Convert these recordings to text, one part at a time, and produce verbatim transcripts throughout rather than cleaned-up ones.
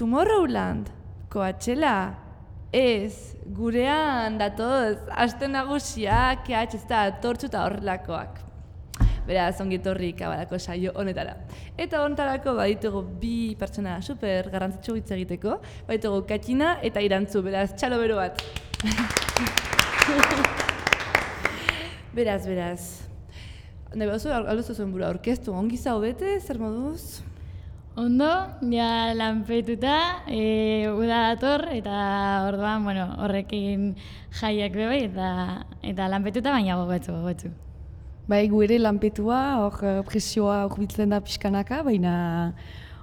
Tomorrowland, Coachella, ez, gurean datoz, aste nagusiak, kehatx ez da, tortxu eta horrelakoak. Beraz, ongitorri kabalako saio honetara. Eta honetarako baditugu bi pertsona super garrantzitsu hitz egiteko, baditugu Katina eta Irantzu, beraz, txalo bero bat. Beraz, beraz. Nahi baduzu, alduzu zuen bura orkestu, ongi zaudete, zer moduz? Ondo, ja lanpetuta, e, uda dator, eta orduan, bueno, horrekin jaiak bebai, eta, eta lanpetuta baina gogotzu, gogotzu. Bai, gu ere lanpetua, hor presioa urbitzen da pixkanaka, baina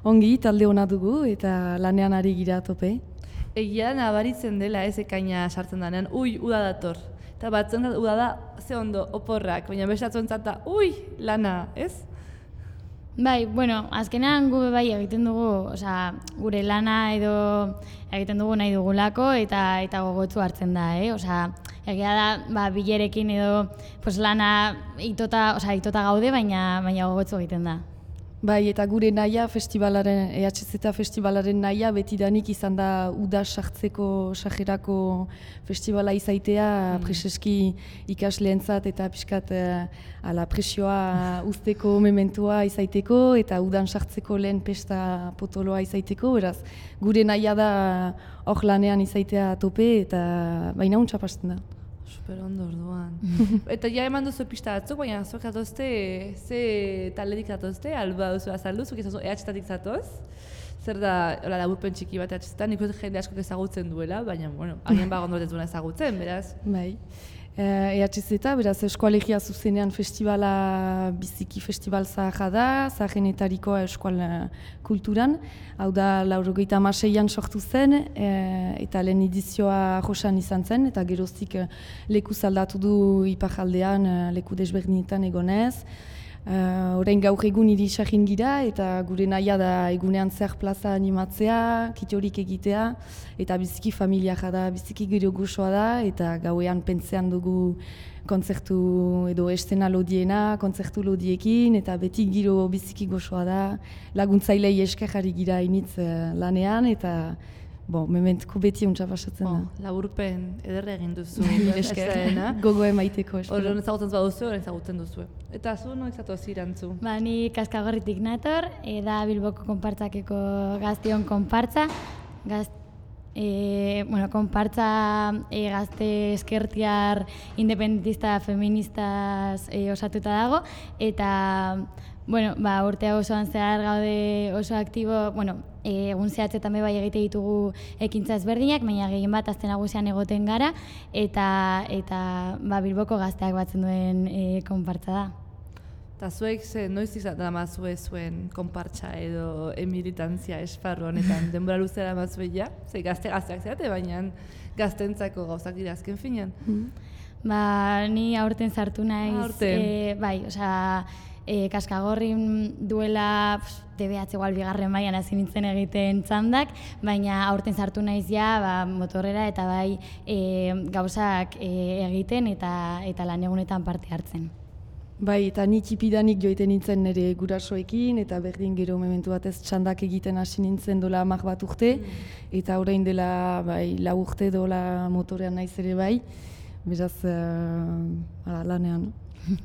ongi talde hona dugu eta lanean ari gira tope. Egia nabaritzen dela ez ekaina sartzen denean, ui, uda dator. Eta batzen da, uda da, ze ondo, oporrak, baina bestatzen zata, ui, lana, ez? Bai, bueno, azkenean gu bai egiten dugu, osea, gure lana edo egiten dugu nahi dugulako eta eta gogotsu hartzen da, eh? Osea, egia da, ba, bilerekin edo pues, lana itota, osea, itota gaude, baina baina gogotsu egiten da. Bai, eta gure nahia festivalaren, E H Z festivalaren nahia betidanik izan da uda sartzeko, sajerako festivala izaitea, mm. preseski ikasleentzat eta pixkat eh, ala presioa usteko mementua izaiteko eta udan sartzeko lehen pesta potoloa izaiteko, beraz, gure nahia da hor lanean izaitea tope eta baina untsa pasten da. Super ondo orduan. Eta ja eman duzu pista batzuk, baina zuek zatozte, ze taledik zatozte, alba duzu azaldu, zuek ezazu E H Z-tik zatoz. Zer da, hola, laburpen txiki bat E H Z-tan, nik jende askok ezagutzen duela, baina, bueno, agian bagondo ez duena ezagutzen, beraz. Bai. E H Z, beraz, Eskoalegia zuzenean festivala, biziki festival zaharra da, zaharrenetarikoa eskual kulturan. Hau da, laurogeita hamaseian sortu zen, e, eta lehen edizioa josan izan zen, eta geroztik leku zaldatu du iparaldean, leku desberdinetan egonez. Uh, Orain gaur egun hiri sahin gira eta gure nahia da egunean zer plaza animatzea, kitorik egitea eta biziki familiara da, biziki gero gozoa da eta gauean pentsean dugu kontzertu edo estena lodiena, kontzertu lodiekin eta beti giro biziki gozoa da, laguntzailei esker jarri gira initz uh, lanean eta Bo, mementuko beti untsa pasatzen da. Oh, laburpen ederre egin duzu. Esker. Gogo emaiteko, espero. Horren ezagutzen baduzu, horren ezagutzen duzu. Eta zu, noiz zatoz Irantzu? Ba, ni Kaskagorritik nator, da Bilboko konpartzakeko gaztion konpartza. Gaz, e, bueno, konpartza e, gazte eskertiar independentista feministaz e, osatuta dago, eta bueno, ba, urtea osoan zehar gaude oso aktibo, bueno, egun zehatzetan bai egite ditugu ekintza ezberdinak, baina gehien bat azte nagusian egoten gara, eta, eta ba, Bilboko gazteak batzen duen e, konpartza da. Eta zuek ze noiz izan mazue zuen konpartza edo emilitantzia esparru honetan, denbora luzera mazue ja? Ze gazte gazteak zerate, baina gaztentzako gauzak dira azken finean. Mm. Ba, ni aurten sartu naiz, aurten. E, bai, osea, E, Kaskagorrin duela D B H igual bigarren mailan hasi nintzen egiten txandak, baina aurten sartu naiz ja ba, motorrera eta bai e, gauzak e, egiten eta eta lan egunetan parte hartzen. Bai, eta ni txipidanik joiten nintzen nire gurasoekin eta berdin gero mementu batez txandak egiten hasi nintzen dola hamar bat urte mm. eta orain dela bai, lau urte dola motorean naiz ere bai, beraz uh, ala, lanean.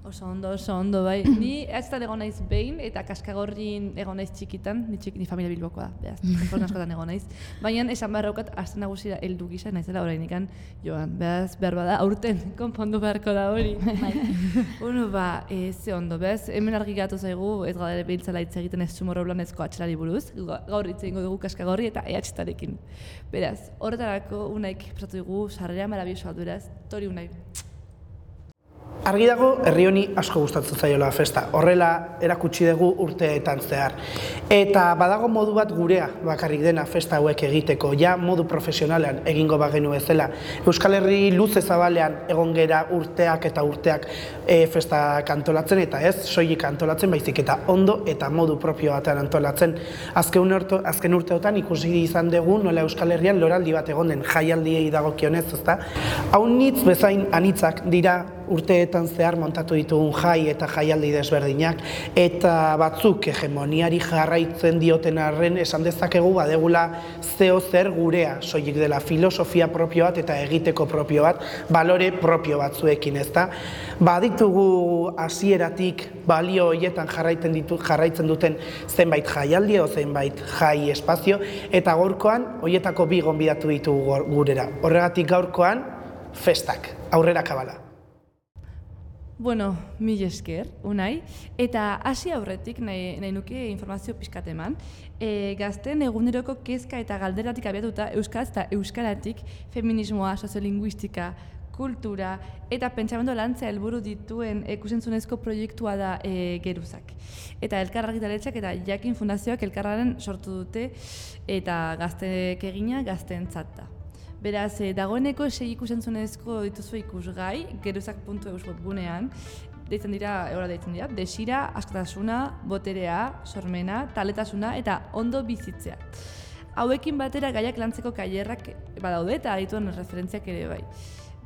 Oso ondo, oso ondo, bai. Ni ez da egon naiz behin, eta Kaskagorrin egon naiz txikitan, ni, txik, ni familia Bilbokoa da, beraz, Kaskagorrin askotan egon naiz. Baina esan behar haukat, azte nagusira heldu gisa naizela orainikan joan, beraz, behar bada, aurten, konpondu beharko da hori. Bueno, ba, e, ze ondo, beraz, hemen argi gatu zaigu, ez gara behintzala hitz egiten ez Tomorrowlandezko atxelari buruz, gaur hitz egingo dugu Kaskagorri eta E H Z-arekin. Beraz, horretarako unaik prestatu dugu, sarrera marabiosoa beraz, tori unai. Argi dago, herri honi asko gustatzen zaiola festa. Horrela erakutsi dugu urteetan zehar. Eta badago modu bat gurea bakarrik dena festa hauek egiteko, ja modu profesionalean egingo bagenu bezala. Euskal Herri luze zabalean egon gera urteak eta urteak e, festa antolatzen eta ez soilik antolatzen, baizik eta ondo eta modu propio batean antolatzen. Azken, urte, azken urteotan ikusi izan dugu nola Euskal Herrian loraldi bat egon den jaialdiei dagokionez, ezta? Hau nitz bezain anitzak dira urteetan zehar montatu ditugun jai eta jaialdi desberdinak, eta batzuk hegemoniari jarraitzen dioten arren esan dezakegu badegula zeo zer gurea, soilik dela filosofia propio bat eta egiteko propio bat, balore propio batzuekin, ezta? Baditugu hasieratik balio horietan jarraitzen ditu jarraitzen duten zenbait jaialdi edo zenbait jai espazio, eta gaurkoan horietako bi gonbidatu ditugu gurera. Horregatik gaurkoan festak, aurrera kabala. Bueno, mil esker, Unai, eta hasi aurretik nahi, nahi nuke informazio pixkat eman. E, gazten eguneroko kezka eta galderatik abiatuta euskaraz eta euskaratik feminismoa, soziolinguistika, kultura eta pentsamendu lantzea helburu dituen ikusentzunezko proiektua da e, Geruzak. Eta Elkar Argitaletxeak eta Jakin Fundazioak elkarraren sortu dute eta gazteek egina gazteentzat da. Beraz, e, dagoeneko sei ikusentzunezko dituzu ikusgai, geruzak puntu eus webgunean, deitzen dira, eora deitzen dira, desira, askatasuna, boterea, sormena, taletasuna eta ondo bizitzea. Hauekin batera gaiak lantzeko kailerrak badaude eta adituen referentziak ere bai.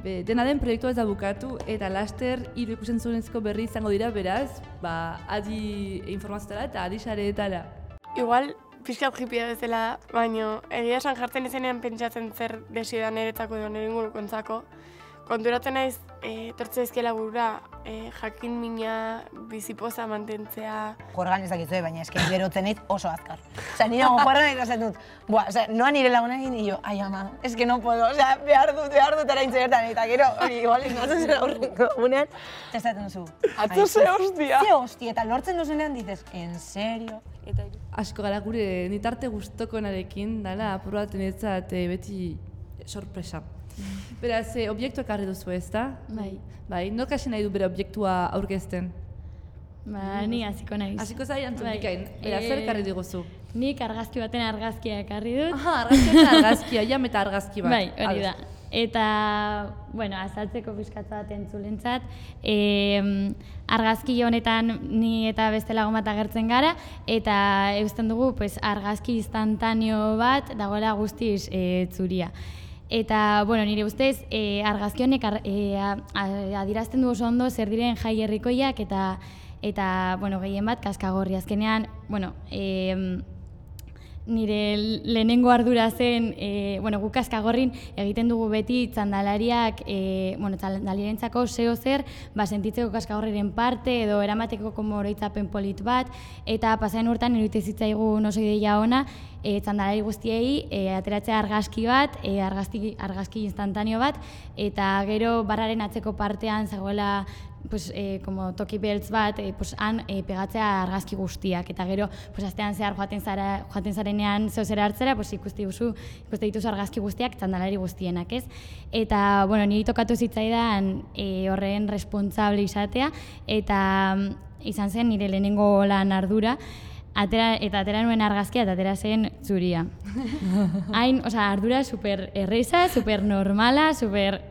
Be, dena den proiektua ez da bukatu eta laster hiru ikusentzunezko berri izango dira, beraz, ba, adi informazioetara eta adi sareetara. Igual, pixkat jipia bezala, baina egia esan jartzen izenean pentsatzen zer desio da niretzako edo nire ingurukontzako. Konturatzen naiz, e, tortze ezkiela burura, e, jakin mina bizipoza mantentzea. Jorgan ez dakitzu, baina eski berotzen naiz oso azkar. Osea, nire jorgan nahi esaten dut, buah, osea, noa nire lagunekin, y yo, ai ama, es que no puedo, osea, behar dut, behar dut eraintze bertan, eta gero, hori, igual, ikatzen zen aurreko egunean, esaten duzu. Atzo ze hostia! Ze hostia, eta lortzen duzunean dices, en serio? Eta Asko gara gure nitarte gustokonarekin, dala, apur bat niretzat beti sorpresa. Beraz, e, obiektua ekarri duzu ez da? Bai. Bai, nork hasi nahi du bere obiektua aurkezten? Ba, ni hasiko naiz. Hasiko zai antzun Bai. bikain, beraz, zer ekarri diguzu? Nik argazki baten argazkia ekarri dut. Aha, argazki eta argazkia, jam eta argazki bat. Bai, hori da. Eta, bueno, azaltzeko pixkatza bat entzulentzat, e, argazki honetan ni eta beste lagun bat agertzen gara, eta eusten dugu pues, argazki instantaneo bat dagoela guztiz e, zuria. Eta, bueno, nire ustez, e, argazki honek e, adierazten du oso ondo zer diren jai herrikoiak eta, eta bueno, gehien bat, kaskagorri. Azkenean, bueno, e, nire lehenengo ardura zen, e, bueno, guk kaskagorrin egiten dugu beti txandalariak, e, bueno, txandalarientzako zeo zer, ba, sentitzeko kaskagorriren parte edo eramateko como oroitzapen polit bat, eta pasaren urtean iruditzen zitzaigun oso ideia ona, e, txandalari guztiei e, ateratzea argazki bat, e, argazki, argazki instantaneo bat, eta gero barraren atzeko partean zegoela pues, eh, como toki beltz bat, eh, pues, han eh, pegatzea argazki guztiak. Eta gero, pues, astean zehar joaten, zara, joaten zarenean zeo zera hartzera, pues, ikusti duzu, ikusti dituzu argazki guztiak, txandalari guztienak, ez? Eta, bueno, niri tokatu zitzaidan eh, horren responsable izatea, eta izan zen nire lehenengo lan ardura, atera, eta atera nuen argazkia eta atera zen zuria. Hain, osea, ardura super erreza, super normala, super,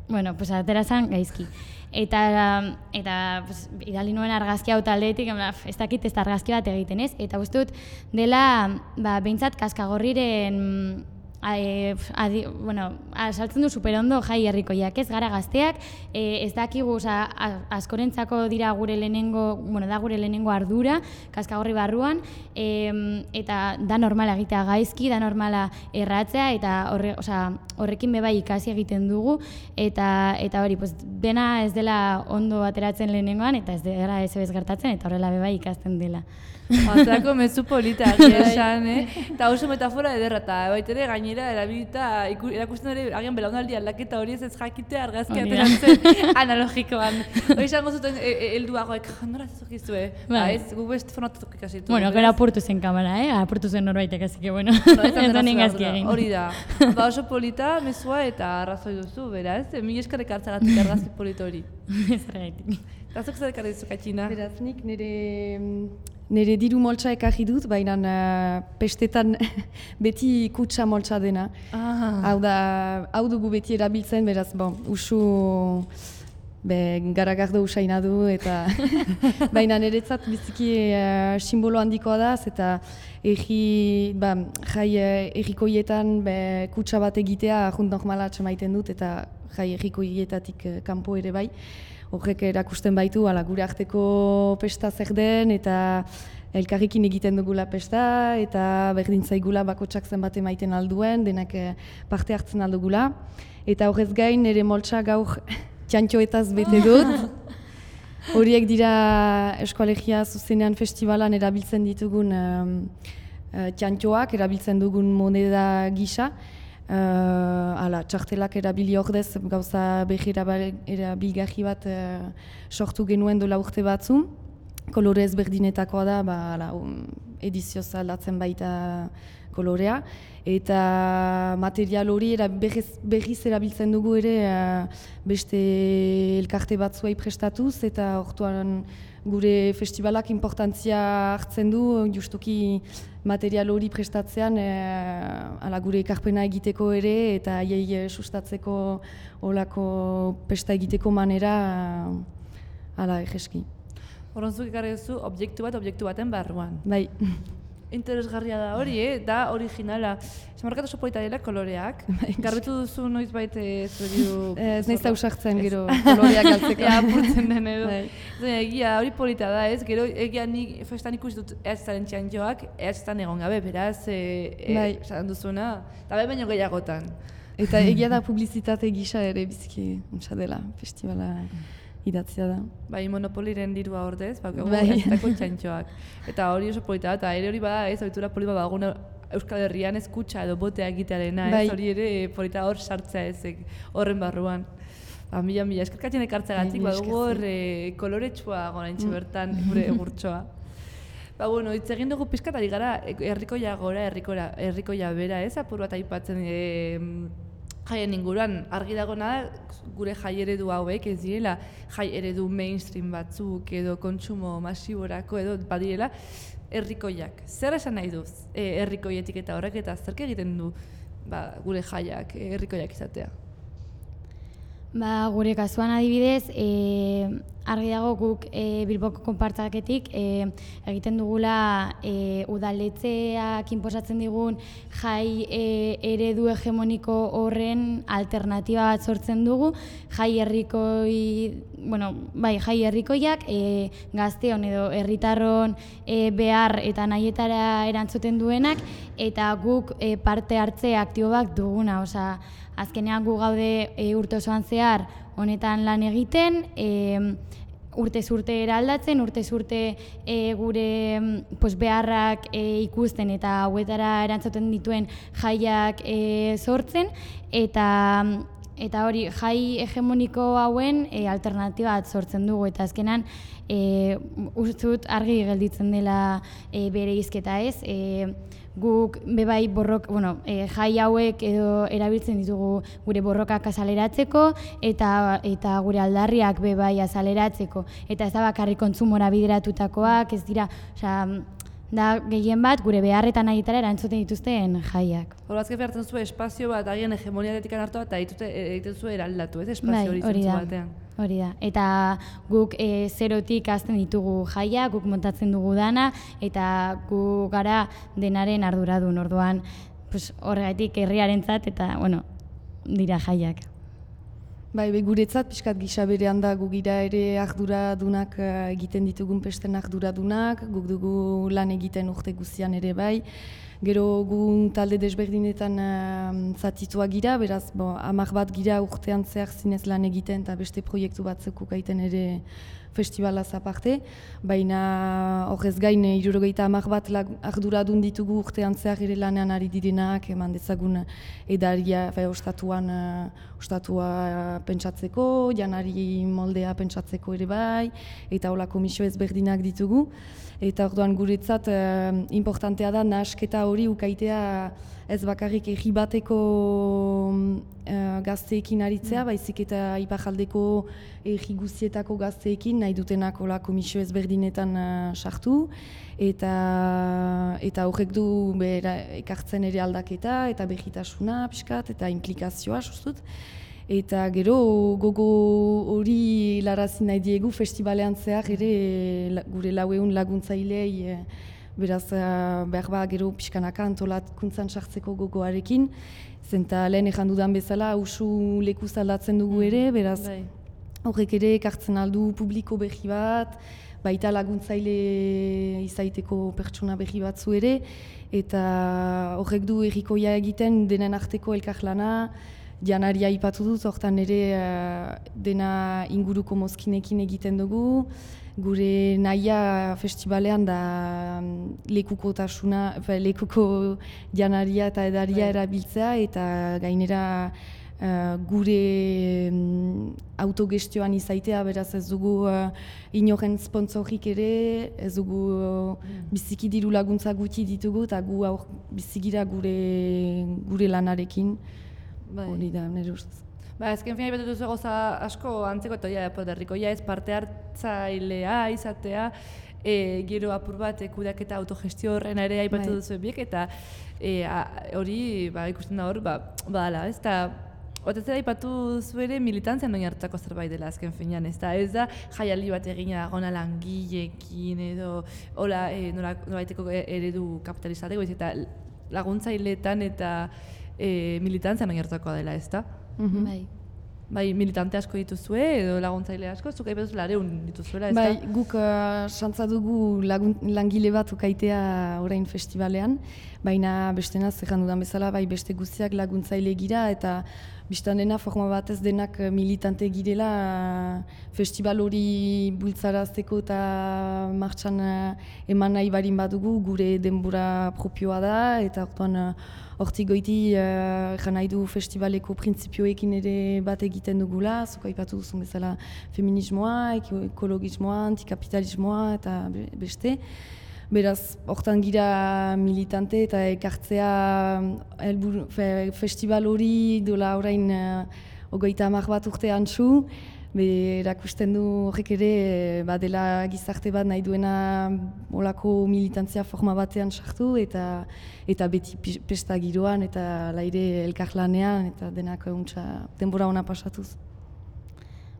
bueno, pues, atera zen gaizki. Eta, eta pues, idali nuen argazki hau taldeetik, ez dakit ez da argazki bat egiten ez, eta uste dut dela, ba, behintzat kaskagorriren, e, adi, bueno, saltzen du superondo jai herrikoiak ez, gara gazteak, e, ez dakigu, oza, askorentzako dira gure lehenengo, bueno, da gure lehenengo ardura, kaskagorri barruan, e, eta da normala egitea gaizki, da normala erratzea, eta horre, oza, horrekin bebai ikasi egiten dugu, eta eta hori, pues, dena ez dela ondo ateratzen lehenengoan, eta ez dela ez bez gertatzen, eta horrela bebai ikasten dela. Atzako mezu polita, esan, eh? Eta oso metafora ederra, eta baitere gainera erabilita erakusten ere agian belaunaldi aldaketa hori ez ez jakitea argazki ateratzen analogikoan. Hori izango zuten helduagoek, nora zezokizue, ba ez, gu best formatuk ikasi ditugu. Bueno, gero apurtu zen kamera, eh? Apurtu zen norbaitek, así que bueno, ez da ningazki egin. Hori da, ba oso polita, mezua eta arrazoi duzu, beraz, mil eskerrek hartzagatik argazki polita hori. Ez argaitik. Eta zuk zer ekarri duzu, Katxina? Beraz, nik nire... Nire diru moltsa ekarri dut, baina uh, pestetan beti kutsa moltsa dena. Ah. Hau da, hau dugu beti erabiltzen, beraz, bon, usu be, garagardo usaina du, eta baina niretzat biziki uh, simbolo handikoa da, eta erri, ba, jai errikoietan be, kutsa bat egitea junt normala atxemaiten dut, eta jai errikoietatik kanpo ere bai. Horrek erakusten baitu, ala, gure arteko pesta zer den, eta elkarrekin egiten dugula pesta, eta berdin zaigula bakotsak zenbat emaiten alduen, denak parte hartzen aldugula. Eta horrez gain, nire moltsa gaur txantxoetaz bete dut. Horiek dira Eskoalegia Zuzenean Festivalan erabiltzen ditugun um, uh, txantxoak, erabiltzen dugun moneda gisa. Uh, ala, txartelak erabili ordez gauza behi erabilgarri bat uh, sortu genuen dola urte batzu. Kolore ezberdinetakoa da, ba, ala, um, edizioz aldatzen baita kolorea. Eta material hori era berriz, berriz erabiltzen dugu ere uh, beste elkarte batzuei prestatuz, eta orduan gure festivalak importantzia hartzen du, justuki material hori prestatzean eh, ala gure ekarpena egiteko ere, eta haiei sustatzeko olako pesta egiteko manera ala egeski. Horrenzuk ekarri duzu objektu bat, objektu baten barruan. Bai. Interesgarria da hori, eh? Da originala. Zamarkatu oso polita dela koloreak. Garbitu duzu noiz baita zuriu... Ez nahiz da usartzen gero koloreak galtzeko. Ea, apurtzen den edo. Egia, hori polita da, ez? Gero egia nik festan ikusi dut ez zaren txantxoak, ez zan egon gabe, beraz, esan duzuna, eta bai baino gehiagotan. Eta egia da publizitate gisa ere biziki untsa dela, festivala idatzia da. Bai, monopoliren dirua ordez, bak, bai. eztako txantxoak. Eta hori oso polita da, eta ere hori bada, ez, ohitura polita baguna Euskal Herrian ez kutsa edo botea egitearena, ez, hori ere polita hor sartzea ezek horren barruan. Ba, mila, mila, eskerkatzen ekartzagatik, badugu hor koloretsua gonaintxe bertan gure egurtsoa. Ba, bueno, hitz egin dugu pizkatari gara, herrikoia gora, herrikoia bera, ez, apur bat aipatzen jaien inguruan. Argi dagona gure jai eredu hauek ez direla jai eredu mainstream batzuk edo kontsumo masiborako edo badirela herrikoiak. Zer esan nahi duz herrikoietik eta horrek eta zerk egiten du ba, gure jaiak herrikoiak izatea? Ba, gure kasuan adibidez, e, argi dago guk e, Bilboko konpartzaketik e, egiten dugula e, udaletxeak inposatzen digun jai e, eredu hegemoniko horren alternatiba bat sortzen dugu, jai herrikoi, bueno, bai, jai herrikoiak e, gazteon edo herritarron e, behar eta nahietara erantzuten duenak, eta guk e, parte hartze aktiboak duguna, osea, azkenean gu gaude e, urte osoan zehar honetan lan egiten, e, urtez urte eraldatzen, urtez urte e, gure pues, beharrak e, ikusten eta hauetara erantzuten dituen jaiak e, sortzen, eta eta hori jai hegemoniko hauen e, alternatiba bat sortzen dugu, eta azkenan e, ustut argi gelditzen dela e, bere hizketa ez, e, guk bebai borrok, bueno, e, jai hauek edo erabiltzen ditugu gure borrokak azaleratzeko eta eta gure aldarriak bebai azaleratzeko, eta ez da bakarrik kontsumora bideratutakoak, ez dira, osea, da gehien bat gure beharretan nahietara erantzuten dituzten jaiak. Horazke behartzen zuen espazio bat agian hegemoniaretik hartu eta egiten zuen eraldatu, ez? Espazio hori bai, zentzu batean. Hori da, eta guk e, zerotik hasten ditugu jaia, guk montatzen dugu dana, eta gu gara denaren arduradun, orduan pues, horregatik herriarentzat eta, bueno, dira jaiak. Bai, be, guretzat pixkat gisa berean da gu gira ere arduradunak egiten ditugun pesten arduradunak, guk dugu lan egiten urte guztian ere bai. Gero gu talde desberdinetan uh, zatitua gira, beraz bo, hamar bat gira urtean zehar zinez lan egiten eta beste proiektu batzuk gaiten ere festivalaz aparte. Baina horrez gain hirurogeita hamar bat arduradun ditugu urtean zehar ere lanean ari direnak, eman dezagun edaria, bai, ostatuan, uh, ostatua pentsatzeko, janari moldea pentsatzeko ere bai, eta hola komisio ezberdinak ditugu. Eta orduan guretzat uh, importantea da nahasketa hori ukaitea ez bakarrik herri bateko uh, gazteekin aritzea, baizik eta ipajaldeko herri guztietako gazteekin nahi dutenak hola komisio ezberdinetan uh, sartu. Eta, eta horrek du bera, ekartzen ere aldaketa eta behitasuna pixkat eta implikazioa sustut. Eta gero gogo hori larazi nahi diegu festivalean zehar ere gure lauehun laguntzailei beraz uh, behar ba gero pixkanaka antolatkuntzan sartzeko gogoarekin, zenta lehen ejan dudan bezala usu lekuz aldatzen dugu ere, beraz Bai. horrek ere ekartzen aldu publiko berri bat, baita laguntzaile izaiteko pertsona berri batzu ere, eta horrek du errikoia egiten denen arteko elkarlana, janaria aipatu dut, hortan ere uh, dena inguruko mozkinekin egiten dugu, gure nahia festivalean da um, lekuko tasuna, lekuko janaria eta edaria erabiltzea, eta gainera Uh, gure um, autogestioan izaitea, beraz ez dugu uh, inoren sponsorik ere, ez dugu uh, biziki diru laguntza gutxi ditugu, eta gu aur bizigira gure, gure lanarekin, hori da, nire ustez. Ba, ezken fina ipatu duzu goza asko antzeko eta ja, poderrikoia ez parte hartzailea izatea, e, gero apur bat kudeaketa autogestio horren ere aipatu duzu biek, eta hori ba, ikusten da hor, ba, badala, ez da, Otezera ipatu zuere militantzian noin hartako zerbait dela azken finean, ez da, ez da jaialdi bat egina gona langileekin edo hola e, nolabaiteko eredu kapitalizateko, eta laguntzaileetan eta e, militantzian noin hartakoa dela, ez da? Mm-hmm. Bai. Bai, militante asko dituzue edo laguntzaile asko, zuk aipatuz lareun dituzuela, ez da? Bai, guk uh, santza dugu lagun, langile bat ukaitea orain festivalean, baina bestena zerran dudan bezala, bai beste guztiak laguntzaile gira, eta biztan dena forma batez denak militante girela festival hori bultzarazteko eta martxan eman nahi barin badugu, gure denbora propioa da, eta orduan hortik goiti uh, egan nahi du festivaleko printzipioekin ere bat egiten dugula, zuk aipatu duzun bezala feminismoa, ekologismoa, antikapitalismoa eta beste. Beraz, hortan gira militante eta ekartzea elbur, fe, festival hori dola orain uh, ogoita hamar bat urte antzu, erakusten du horrek ere badela gizarte bat nahi duena olako militantzia forma batean sartu eta eta beti pesta giroan eta laire elkarlanean eta denak untsa denbora ona pasatuz.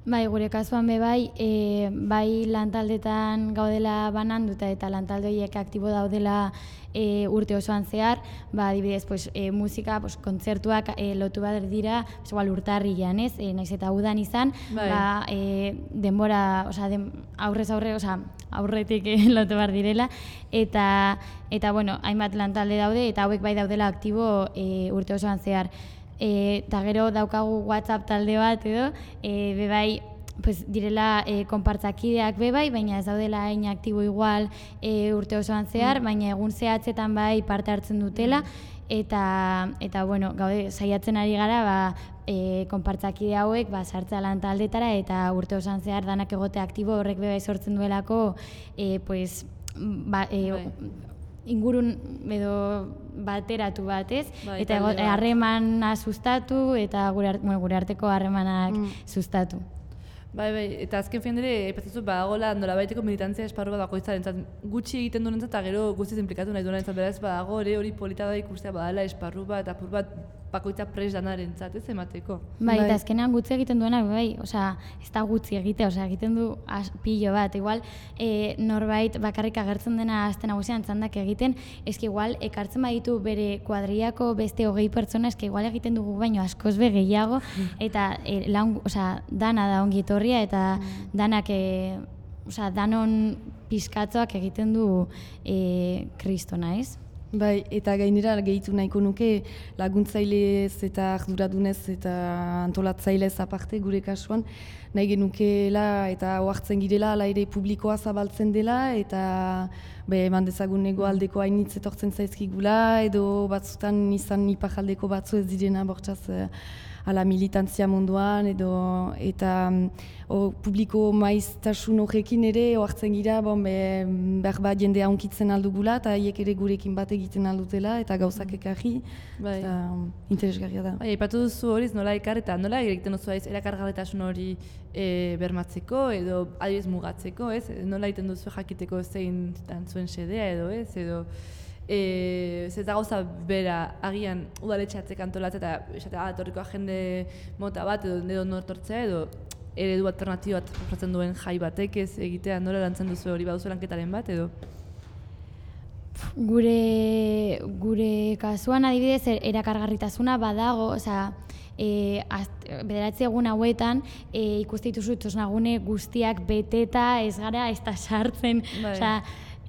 Bai, gure kasuan be bai, e, bai lantaldetan gaudela bananduta eta lantalde horiek aktibo daudela e, urte osoan zehar, ba, adibidez, pues, e, musika, pues, kontzertuak e, lotu bat dira, pues, igual urtarrilean, ez? E, naiz eta udan izan, bai. Ba, e, denbora, osea, den, aurrez aurre, osea, aurretik e, lotu bat direla, eta, eta, bueno, hainbat lantalde daude, eta hauek bai daudela aktibo e, urte osoan zehar. Eta gero daukagu WhatsApp talde bat edo, e, bebai pues, direla e, konpartzakideak bebai, baina ez daudela hain aktibo igual e, urte osoan zehar, mm. baina egun zehatzetan bai parte hartzen dutela, eta, eta bueno, gaude, saiatzen ari gara, ba, e, konpartzakide hauek ba, sartzea lan taldetara, eta urte osoan zehar danak egote aktibo horrek bebai sortzen duelako, e, pues, ba, e, ingurun edo bateratu bat, ez? Bai, eta harremana sustatu eta gure, bueno, gure arteko harremanak mm. sustatu. Bai, bai, eta azken fin dira, epatzazu badagoela nolabaiteko militantzia esparru bat bakoitzaren, gutxi egiten duen eta gero guztiz implikatu nahi duen, beraz badago ere hori polita da ikustea badala esparru bat, apur bat bakoitza pres danaren zat, ez emateko. Bai, eta azkenean gutxi egiten duena, bai, osea, ez da gutxi egitea, osea, egiten du as, pilo bat, igual e, norbait bakarrik agertzen dena azten nagusian txandak egiten, eski igual ekartzen baditu bere kuadriako beste hogei pertsona, eski igual egiten dugu baino askoz be gehiago, eta e, lan, osea, dana da ongi etorria, eta danak, e, osea, danon pizkatzoak egiten du e, kristona, ez? Bai, eta gainera gehitu nahiko nuke laguntzailez eta arduradunez eta antolatzailez aparte gure kasuan nahi genukeela eta ohartzen girela ala ere publikoa zabaltzen dela eta be, eman dezagun hegoaldeko hainitz etortzen zaizkigula edo batzutan izan ipajaldeko batzu ez direna bortzaz ala militantzia munduan edo eta o, publiko maiztasun horrekin ere ohartzen gira bon, be, behar bat jendea onkitzen aldugula eta haiek ere gurekin bat egiten aldutela eta gauzak ekarri bai. Eta interesgarria da. Bai, aipatu duzu horiz nola ekar eta nola egiten duzu aiz erakargarritasun hori e, bermatzeko edo adibidez mugatzeko, ez? Nola egiten duzu jakiteko zein zuen xedea edo ez? Edo E, ez da gauza bera agian udaletxe atzek antolatzea eta esatea, ah, etorriko jende mota bat edo edo nortortzea edo eredu alternatibo bat proposatzen duen jai batek ez egitea nola lantzen duzu hori baduzu lanketaren bat edo? gure, gure kasuan adibidez er- erakargarritasuna badago, osea, e, bederatzi egun hauetan e, ikuste dituzu txosnagune guztiak beteta ez gara ez da sartzen, Bai. osea,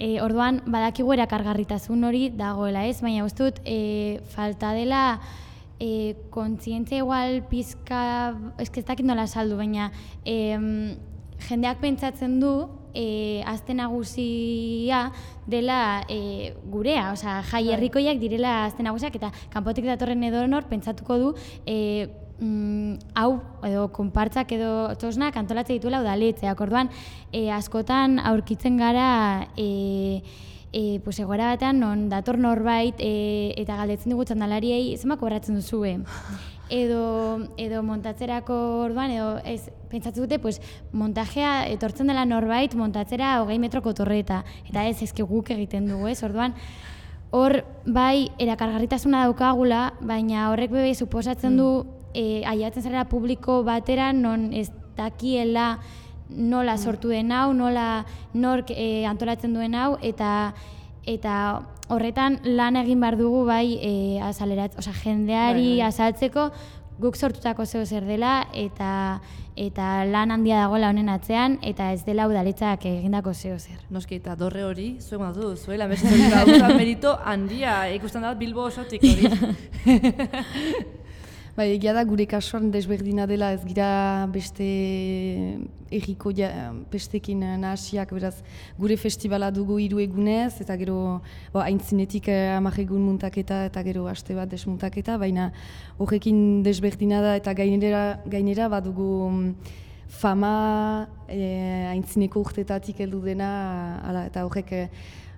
e, orduan badakigu erakargarritasun hori dagoela ez, baina uste dut e, falta dela e, kontzientzia igual pizka, eske ez dakit nola saldu, baina e, jendeak pentsatzen du e, aste nagusia dela e, gurea, osea, jai herrikoiak direla aste nagusiak, eta kanpotik datorren edonor pentsatuko du e, mm, hau edo konpartzak edo txosnak antolatzen dituela udaletxeak. Orduan, e, askotan aurkitzen gara e, e, pues, egoera batean non dator norbait e, eta galdetzen dugu txandalariei zenbat kobratzen duzue. Edo, edo montatzerako orduan, edo ez, pentsatzen dute, pues, montajea etortzen dela norbait montatzera hogei metroko torreta. Eta ez, ezke guk egiten dugu, ez? Orduan, hor bai erakargarritasuna daukagula, baina horrek bebe suposatzen du e, aiatzen zarela publiko batera non ez dakiela nola sortu den hau, nola nork e, antolatzen duen hau, eta eta horretan lan egin behar dugu bai e, azalerat, osea, jendeari Bai, bai. azaltzeko guk sortutako zeo zer dela eta eta lan handia dagoela honen atzean eta ez dela udaletzak egindako zeo zer. Noski, eta dorre hori, zuek matu, zuela, mesetu hori gauza merito handia, ikusten da Bilbo osotik hori. Bai, egia da gure kasuan desberdina dela ez gira beste erriko ja, bestekin nahasiak, beraz gure festivala dugu hiru egunez, eta gero bo, aintzinetik eh, hamar egun muntaketa eta gero aste bat desmuntaketa, baina horrekin desberdina da eta gainera, gainera badugu mm, fama eh, aintzineko urtetatik heldu dena, ala, eta horrek eh,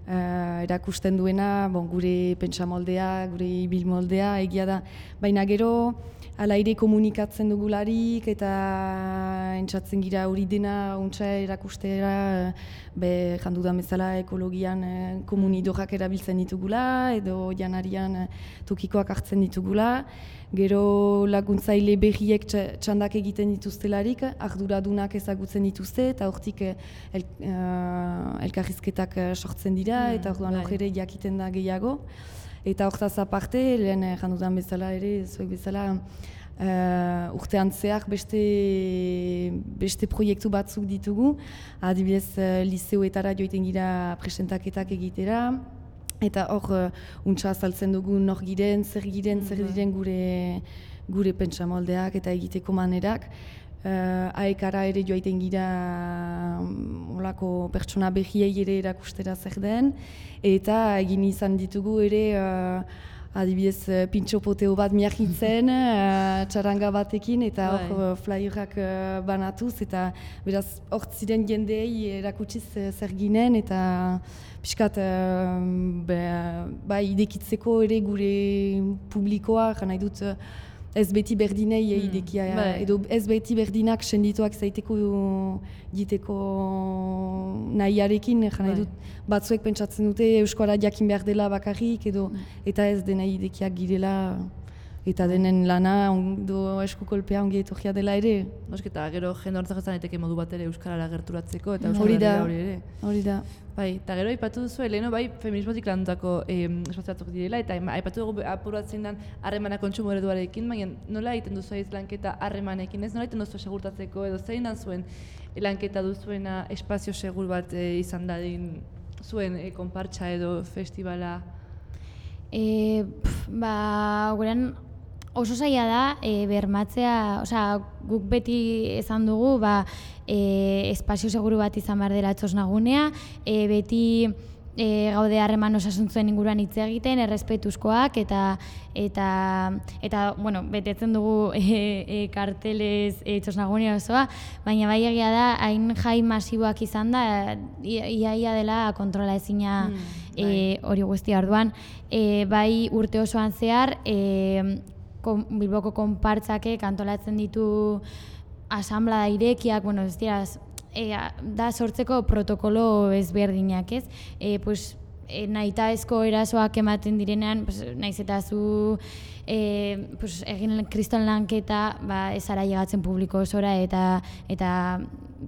Uh, erakusten duena, bon, gure pentsamoldea, gure ibilmoldea, egia da. Baina gero, ala ere komunikatzen dugularik eta entzatzen gira hori dena untsa erakustera, be jandudan bezala ekologian eh, komunidorrak erabiltzen ditugula, edo janarian eh, tokikoak hartzen ditugula. Gero laguntzaile berriek txandak egiten dituztelarik, arduradunak ezagutzen dituzte, eta hortik el, uh, elkarrizketak sortzen dira, eta orduan hor ere jakiten da gehiago. Eta hortaz aparte, lehen jandudan bezala ere, zuek bezala, uh, urtean zehar beste, beste proiektu batzuk ditugu, adibidez uh, liseoetara joiten gira presentaketak egitera, eta hor, uh, untsa azaltzen dugu nor giren, zer giren, zer diren gure, gure pentsamoldeak eta egiteko manerak. Uh, Aekara ere joaiten gira olako pertsona behiei ere erakustera zer den, eta egin izan ditugu ere uh, adibidez pintxo poteo bat miahitzen, uh, txaranga batekin, eta hor uh, flyerrak uh, banatuz, eta beraz hor ziren jendeei erakutsiz uh, zer ginen, eta piskat uh, be, ba, idekitzeko ere gure publikoa, nahi dut uh, ez beti berdinei hmm. idekia, bai. Edo ez beti berdinak sendituak zaiteko diteko nahiarekin, nahi dut batzuek pentsatzen dute euskara jakin behar dela bakarrik, edo eta ez dena idekiak girela, eta denen lana ondo eskukolpea ongi etorria dela ere. Nosketa, gero jende horretzak ez daiteke modu bat ere euskarara gerturatzeko, eta hori da, hori ere. Hori da. Bai, eta gero aipatu duzu, Eleno, bai, feminismotik landutako eh, espazio direla, eta aipatu dugu apuratzen den harremana kontsumo ereduarekin, baina nola egiten duzu aiz lanketa harremanekin, ez? Nola egiten duzu segurtatzeko, edo zein da zuen lanketa duzuena espazio segur bat eh, izan dadin zuen eh, konpartsa edo festivala? E, pf, ba, gurean oso zaila da e, bermatzea, osea, guk beti esan dugu, ba, e, espazio seguru bat izan behar dela txosnagunea, e, beti e, gaude harreman osasuntzuen inguruan hitz egiten, errespetuzkoak, eta eta eta bueno, betetzen dugu e, e, kartelez e, txosnagunea osoa, baina bai egia da, hain jai masiboak izan da, iaia ia dela kontrola ezina mm, e, hori guztia orduan, e, bai urte osoan zehar, e, Kon, Bilboko konpartzakek antolatzen ditu asamblea irekiak, bueno, ez dira, e, da sortzeko protokolo ezberdinak, ez? E, pues, e, nahitaezko erasoak ematen direnean, pues, naiz eta zu e, pues, egin kriston lanketa, ba, ez ara llegatzen publiko osora, eta eta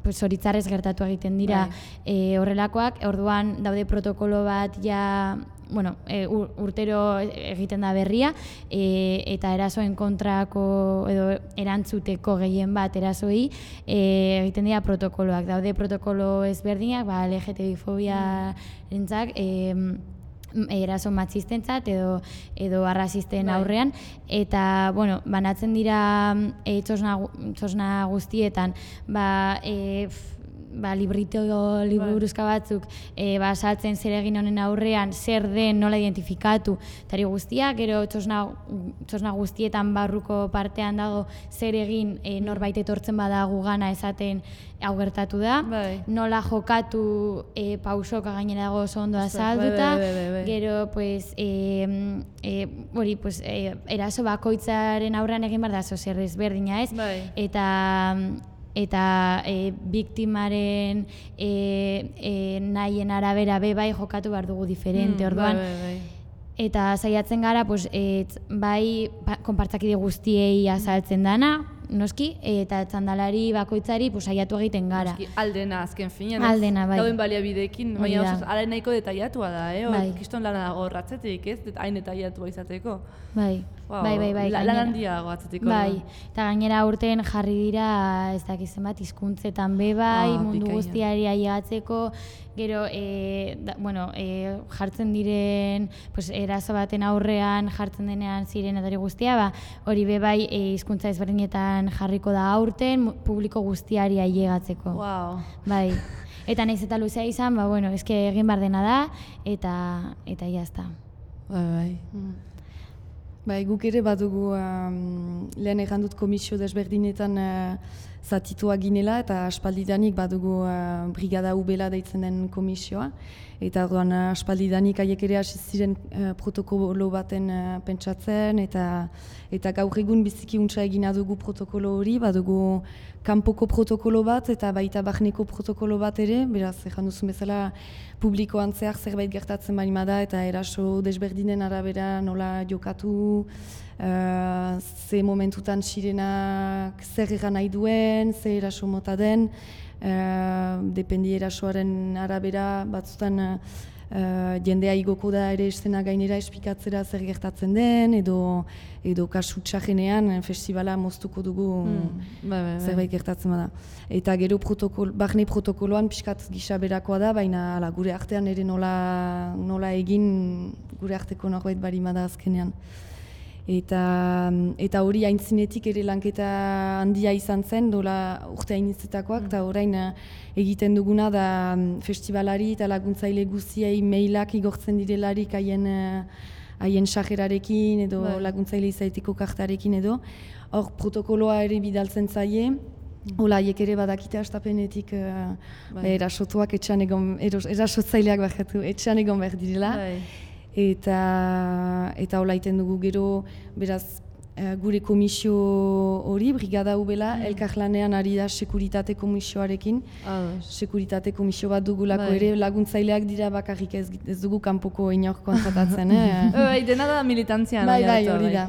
pues, horitzarrez gertatu egiten dira e, horrelakoak, orduan daude protokolo bat ja bueno, e, ur, urtero egiten da berria, e, eta erasoen kontrako edo erantzuteko gehien bat erasoi e, egiten dira protokoloak. Daude protokolo ezberdinak, ba, L G T B fobia-rentzak, e, eraso matxistentzat edo edo arrazisten aurrean, eta bueno, banatzen dira e, txosna, txosna guztietan ba, e, ba, librito liburuzka batzuk e, ba, saltzen zer egin honen aurrean, zer den, nola identifikatu, tari guztiak, gero txosna, txosna guztietan barruko partean dago zer egin e, norbait etortzen bada gugana esaten hau gertatu da, bai. Nola jokatu e, pausoka gainera dago oso ondo azalduta, bai, bai, bai, bai. gero pues, e, e, hori, pues, e, eraso bakoitzaren aurrean egin behar da oso zer ezberdina ez, Bai. eta eta e, biktimaren e, e, nahien arabera be bai jokatu behar dugu diferente, Mm, orduan. bai, bai, bai. Eta saiatzen gara, pues, et, bai pa, konpartzakide guztiei azaltzen dana, noski, eta txandalari bakoitzari pues, saiatu egiten gara. Noski, aldena azken finean, Aldena, bai. dauden baliabideekin, Hori baina da. oso ara nahiko detailatua da, eh? Bai. Kiston lana dago ratzetik, ez? Det- Hain detailatua izateko. Bai, Wow, bai, bai, bai. La, gainera. lan handia dago atzetiko. Bai, eta gainera urten jarri dira, ez dakiz zenbat, hizkuntzetan be bai, Ah, mundu bikaina. guztiari ailegatzeko, gero, e, da, bueno, e, jartzen diren, pues, eraso baten aurrean jartzen denean zirenatari guztia, ba, hori be bai e, hizkuntza ezberdinetan jarriko da aurten, mu- publiko guztiari ailegatzeko. Wow. Bai. Eta naiz eta luzea izan, ba, bueno, eske egin behar dena da, eta, eta jazta. Bai, bai. Bai, guk ere badugu um, lehen egan dut komisio desberdinetan uh, zatituak ginela eta aspaldidanik badugu uh, brigada ubela deitzen den komisioa. Eta orduan uh, aspaldidanik haiek ere hasi ziren uh, protokolo baten uh, pentsatzen eta eta gaur egun biziki untsa egina dugu protokolo hori, badugu kanpoko protokolo bat eta baita barneko protokolo bat ere, beraz, ejan duzun bezala publikoan zehar zerbait gertatzen bali da eta eraso desberdinen arabera nola jokatu, uh, ze momentutan sirenak zer egan nahi duen, ze eraso mota den, uh, dependi erasoaren arabera batzutan uh, uh, jendea igoko da ere estena gainera espikatzera zer gertatzen den, edo, edo kasu txajenean festivala moztuko dugu Mm, bai, bai, bai. zerbait gertatzen bada. Eta gero protokol, barne protokoloan pixkat gisa berakoa da, baina ala, gure artean ere nola, nola egin gure arteko norbait barima da azkenean. Eta, eta hori aintzinetik ere lanketa handia izan zen, dola urte hainitzetakoak, eta orain eh, egiten duguna da mm, festivalari eta laguntzaile guztiei mailak igortzen direlarik haien eh, haien sajerarekin edo Bai. laguntzaile izaiteko kartarekin edo. Hor protokoloa ere bidaltzen zaie, hola haiek ere badakite astapenetik uh, Bai. erasotuak etxean egon, eros, erasotzaileak barkatu, etxean egon behar direla. Bai. Eta, eta hola iten dugu gero, beraz, eh, gure komisio hori, brigada ubela, elkarlanean ari da sekuritate komisioarekin. Ados. Sekuritate komisio bat dugulako Bai. ere, laguntzaileak dira bakarrik ez, ez dugu kanpoko inor kontratatzen, eh? Bai, dena da militantzian. Bai, bai, oinarritua, hori da.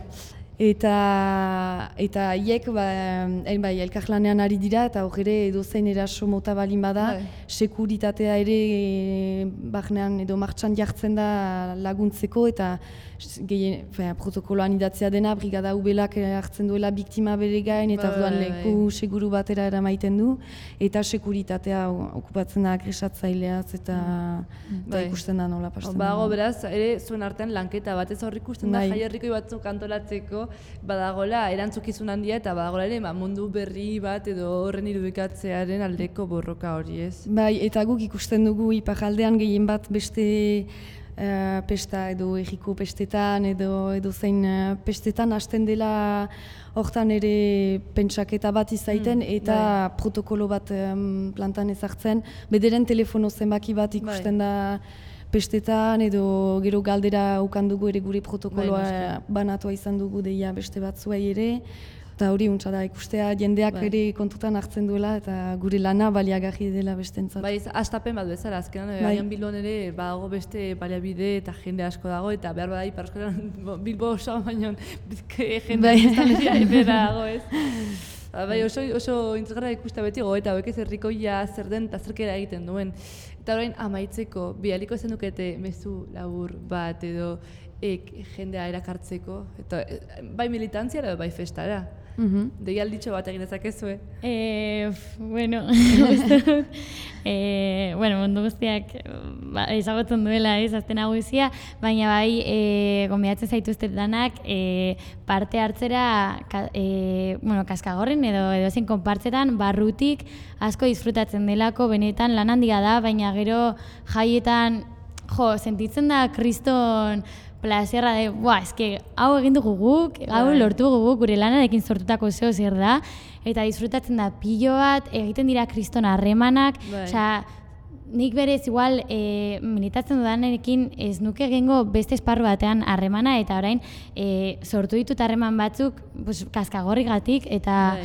Eta eta haiek ba, eh, bai, elkarlanean ari dira eta hor ere edozein eraso mota balin bada, Bai. sekuritatea ere eh, barnean edo martxan jartzen da laguntzeko eta gehien, fe, protokoloan idatzea dena, brigada ubelak hartzen duela biktima bere gain eta Bai, orduan bai, leku bai. seguru batera eramaiten du eta sekuritatea okupatzen da agresatzaileaz eta, eta Bai. ikusten da nola pasten Bago da. beraz, ere zuen artean lanketa bat ez hor ikusten da Bai. jaierrikoi batzuk antolatzeko badagola erantzukizun handia eta badagola ere ba, mundu berri bat edo horren irudikatzearen aldeko borroka hori, ez? Bai, eta guk ikusten dugu iparraldean gehien bat beste uh, pesta edo erriko pestetan edo edo zein uh, pestetan hasten dela hortan ere pentsaketa bat izaiten Mm, eta protokolo bat um, plantan ezartzen. Bederen telefono zenbaki bat ikusten da pestetan edo gero galdera ukan dugu ere gure protokoloa Bai, banatua izan dugu deia beste batzuei ere. Eta hori untsa da ikustea jendeak Bai. ere kontutan hartzen duela eta gure lana baliagarri dela bestentzat. Bai, astapen bat bezala, azkenan, Bai. agian Bilbon ere badago beste baliabide eta jende asko dago, eta behar bada Ipar Euskal Bilbo oso, baina jende Bai. biztanleria ebera dago, ez? Ba, Bai, oso, oso interesgarra ikustea beti goeta, hauek ez herrikoia zer den eta zerkera egiten duen. Eta orain amaitzeko, bialiko zen dukete mezu labur bat edo ek, jendea erakartzeko, eta bai militantziara edo bai festara. Mhm. Deialditxo bat egin dezakezue. Eh, bueno, uste dut, eh, bueno, mundu guztiak ba, ezagutzen duela ez, azten nagusia, baina bai eh, gonbidatzen zaituztet danak eh, parte hartzera ka, eh, bueno, kaskagorrin edo edo zen konpartzetan barrutik asko disfrutatzen delako, benetan lan handia da, baina gero jaietan, jo, sentitzen da kriston plazerra de, buah, eske, hau egin dugu guk, hau lortu dugu guk, gure lanarekin sortutako zeo zer da, eta disfrutatzen da pilo bat, egiten dira kriston harremanak, osea, nik berez igual e, militatzen dudanekin ez nuke egingo beste esparru batean harremana, eta orain e, sortu ditut harreman batzuk pues, kaskagorrigatik, eta,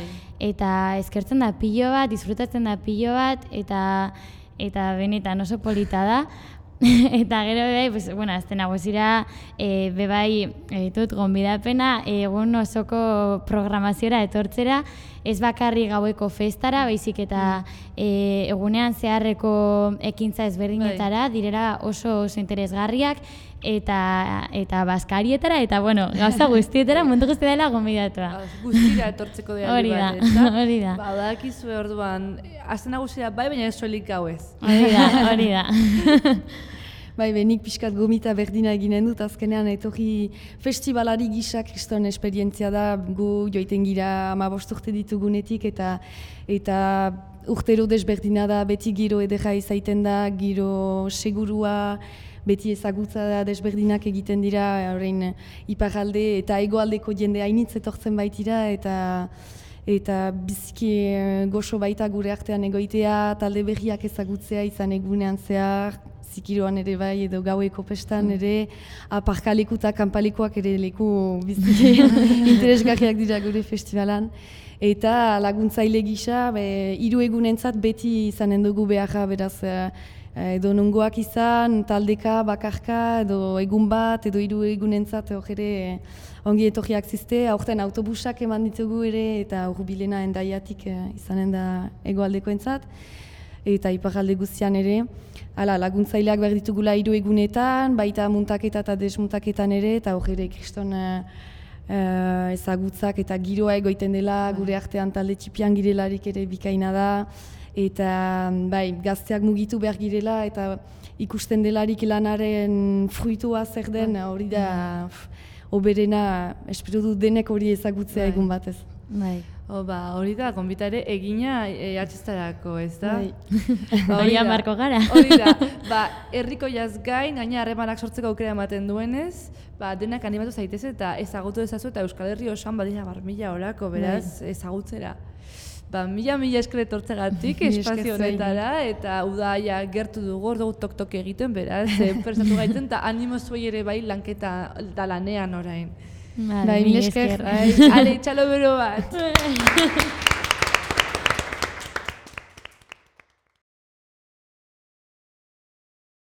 eta eskertzen da pilo bat, disfrutatzen da pilo bat, eta, eta benetan oso polita da. Eta gero bebai, pues, bueno, azten nagusira e, bebai ditut gonbidapena egun osoko programaziora etortzera, ez bakarri gaueko festara, baizik eta e, egunean zeharreko ekintza ezberdinetara, direra oso oso interesgarriak, eta eta baskarietara, eta bueno, gauza guztietara, mundu guzti dela gonbidatua. Guztira etortzeko deialdi bat, ez da? Hori da. Ba, badakizue orduan, azten nagusira bai, baina ez soilik gauez. Hori da, hori da. Bai, benik pixkat gomita berdina eginen dut, azkenean etorri festivalari gisa kriston esperientzia da, gu joiten gira hamabost urte ditugunetik, eta eta urtero desberdina da, beti giro edera izaiten da, giro segurua, beti ezagutza da desberdinak egiten dira, orain iparalde eta hegoaldeko jende hainitz etortzen baitira, eta eta biziki goxo baita gure artean egoitea, talde berriak ezagutzea izan egunean zehar, zikiroan ere bai edo gaueko pestan ere, aparkaleku eta kanpalekoak ere leku biziki interesgarriak dira gure festivalan. Eta laguntzaile gisa, hiru egunentzat beti izanen dugu beharra, beraz, edo nongoak izan, taldeka, bakarka, edo egun bat, edo hiru egunentzat hor ere ongi etorriak zizte, aurten autobusak eman ditugu ere, eta hurbilena endaiatik izanen da hegoaldekoentzat, eta iparralde guztian ere. Hala, laguntzaileak behar ditugula hiru egunetan, baita muntaketa eta desmuntaketan ere, eta hor ere kriston uh, uh, ezagutzak eta giroa egoiten dela, gure artean talde txipian girelarik ere bikaina da, eta bai, gazteak mugitu behar girela, eta ikusten delarik lanaren fruitua zer den, hori da, oberena, espero dut denek hori ezagutzea egun batez. Bai. O, ba, hori da, gonbita ere egina e, artistarako, ez da? Ba, hori da, marko gara. Hori da, ba, herriko jaz gain, gaina harremanak sortzeko aukera ematen duenez, ba, denak animatu zaitez eta ezagutu ezazu, eta Euskal Herri osoan badira bar mila horako, beraz, ezagutzera. Ba, mila mila esker etortzegatik espazio honetara, eta udaia gertu dugu, hor dugu tok-tok egiten, beraz, prestatu gaiten, eta animo zuei ere bai lanketa da lanean orain. Bai, mila esker. Ale, txalo bero bat.